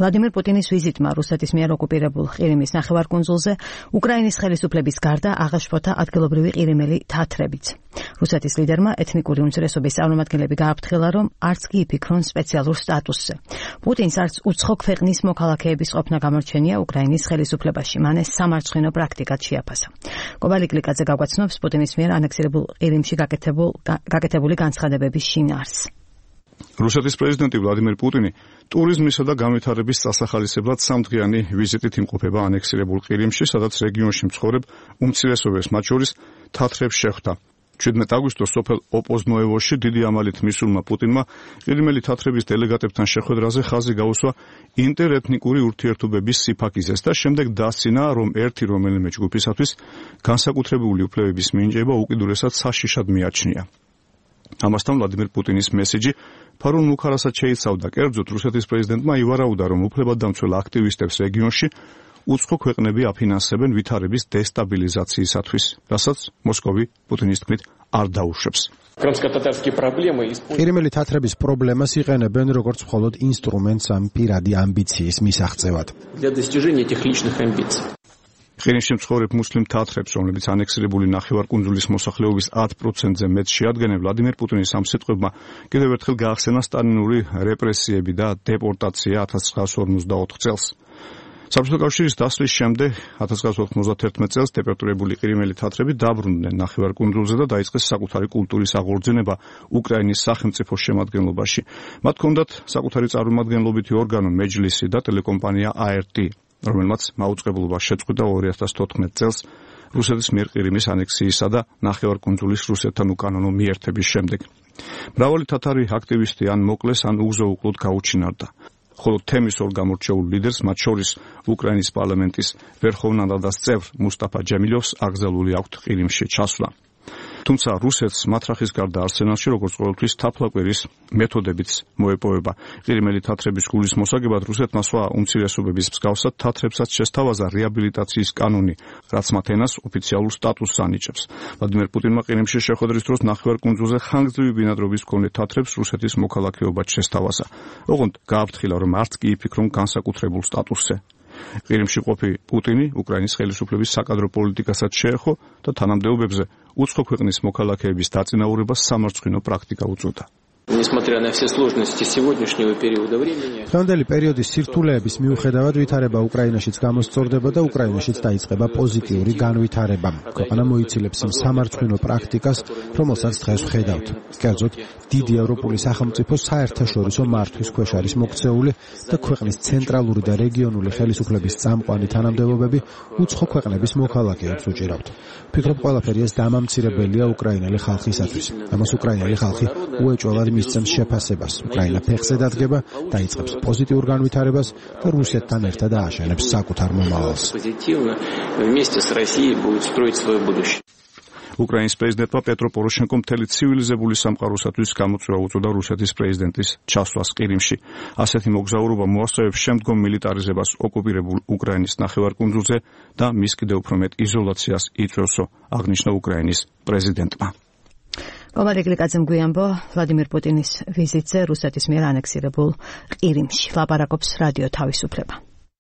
ვლადიმერ პუტინის ვიზიტმა რუსეთის მიერ ოკუპირებულ ყირიმის ნახევარკუნძულზე უკრაინის ხელისუფლების გარდა აღაშფოთა ადგილობრივი ყირიმელი თათრებიც. რუსეთის ლიდერმა ეთნიკური უმცირესობის წარმომადგენლები გააფრთხილა, რომ არც კი იფიქრონ სპეციალურ სტატუსზე. პუტინს არც უცხო ქვეყნის მოქალაქეების ყოფნა გამორჩენია უკრაინის ხელისუფლებაში. მან ეს სამარცხვინო პრაქტიკად შეაფასა. კობალი კლიკაძე გაგვაცნობს პუტინის მიერ ანექსირებულ ყირიმში გაკეთებული განცხადებების შინაარსს. რუსეთის პრეზიდენტი ვლადიმერ პუტინი ტურიზმისა და განვითარების დასახალისებლად სამდღიანი ვიზიტით იმყოფება ანექსირებულ ყირიმში, სადაც რეგიონში მცხოვრებ უმცირესობებს, მათ შორის თათრებს შეხვდა. 17 აგვისტოს სოფელ ოპოზნოევოში დიდი ამალით მისულმა პუტინმა ყირიმელი თათრების დელეგატებთან შეხვედრაზე ხაზი გაუსვა ინტერეთნიკური ურთიერთობების სიფაქიზეს და შემდეგ დასცინა, რომ ერთი რომელიმე ჯგუფისათვის განსაკუთრებული უფლებების მინიჭება უკიდურესად საშიშად მიაჩნია. ამასთან ვლადიმერ პუტინის მესიჯი ფარულ მუხარასაც შეიცავდა. კერძოდ რუსეთის პრეზიდენტმა ივარაუდა, რომ უფლებადდამცველ აქტივისტებს რეგიონში უცხო ქვეყნები აფინანსებენ ვითარების დესტაბილიზაციისათვის, რასაც მოსკოვი პუტინის თქმით არ დაუშვებს. ყირიმელი თათრების პრობლემას იყენებენ როგორც მხოლოდ ინსტრუმენტს ამ პირადი ამბიციის მისაღწევად. ყირიმში მცხოვრებ მუსლიმ თათრებს, რომლებიც ანექსირებული ნახევარკუნძულის მოსახლეობის 10%-ზე მეტს შეადგენენ, ვლადიმერ პუტინის ამ სიტყვებმა კიდევ ერთხელ გაახსენა სტალინური რეპრესიები და დეპორტაცია 1954 წელს. საბჭოთა კავშირის დასვლის შემდეგ 1991 წელს დეპორტირებული ყირიმელი თათრები დაბრუნდნენ ნახევარკუნძულზე და დაიწყეს საკუთარი კულტურის აღორძინება უკრაინის სახელმწიფოს შემადგენლობაში. მათ ჰქონდათ საკუთარი წარმომადგენლობითი ორგანო მეჯლისი და ტელეკომპანია ART, რომელმაც მაუწყებლობა შეწყვიტა 2014 წელს რუსეთის მიერ ყირიმის ანექსიისა და ნახევარკუნძულის რუსეთთან უკანონო მიერთების შემდეგ. მრავალი თათარი აქტივისტი ან მოკლეს, ან უგზო-უკლოდ გაუჩინარდა. ხოლო თემის ორ გამორჩეულ ლიდერს, მათ შორის უკრაინის პარლამენტის ვერხოვნა რადას წევრ მუსტაფა ჯემილოვს აკრძალული აქვთ ყირიმში ჩასვლა. თუმცა რუსეთს მათრახის გარდა არსენალში როგორც ყოველთვის თაფლაკვირის მეთოდებიც მოეპოვება. ყირიმელი თათრების გულის მოსაგებად რუსეთმა სხვა უმცირესობების მსგავსად თათრებსაც შესთავაზა რეაბილიტაციის კანონი, რაც მათ ენას ოფიციალურ სტატუსს ანიჭებს. ვლადიმერ პუტინმა ყირიმში შეხვედრის დროს ნახევარკუნძულზე ხანგრძლივი ბინადრობის მქონე თათრებს რუსეთის მოქალაქეობად შესთავაზა. ოღონდ გააფრთხილა, რომ არც კი იფიქრონ განსაკუთრებულ სტატუსზე. ყირიმში ყოფი პუტინი უკრაინის ხელისუფლების საკადრო პოლიტიკასაც შეეხო და თანამდებობებზე უცხო ქვეყნის მოქალაქეების დაწინაურებას სამარცხვინო პრაქტიკა უწოდა. დღევანდელი პერიოდის სირთულეების მიუხედავად ვითარება უკრაინაშიც გამოსწორდება და უკრაინაშიც დაიწყება პოზიტიური განვითარება. ქვეყანა მოიცილებს იმ სამარცხვინო პრაქტიკას, რომელსაც დღეს ვხედავთ. კერძოდ, დიდი ევროპული სახელმწიფო საერთაშორისო მართვის ქვეშ არის მოქცეული და ქვეყნის ცენტრალური და რეგიონული ხელისუფლების წამყვანი თანამდებობები უცხო ქვეყნების მოქალაქეებს უჭირავთ. ვფიქრობ, ყველაფერი ეს დამამცირებელია უკრაინელი ხალხისათვის. ამას უკრაინელი ხალხი უეჭველად მისცემს შეფასებას. უკრაინა ფეხზე დადგება, დაიწყებს პოზიტიურ განვითარებას და რუსეთთან ერთად ააშენებს საკუთარ მომავალს. უკრაინის პრეზიდენტმა პეტრო პოროშენკომ მთელი ცივილიზებული სამყაროსათვის გამოწვევა უწოდა რუსეთის პრეზიდენტის ჩასვლას ყირიმში. ასეთი მოგზაურობა მოასწავებს შემდგომ მილიტარიზებას ოკუპირებულ უკრაინის ნახევარკუნძულზე და მის კიდევ უფრო მეტ იზოლაციას იწვევსო, აღნიშნა უკრაინის პრეზიდენტმა. კობალი კლიკაძემ გვიანბო ვლადიმერ პუტინის ვიზიტზე რუსეთის მიერ ანექსირებულ ყირიმში. ლაპარაკობს რადიო თავისუფლება.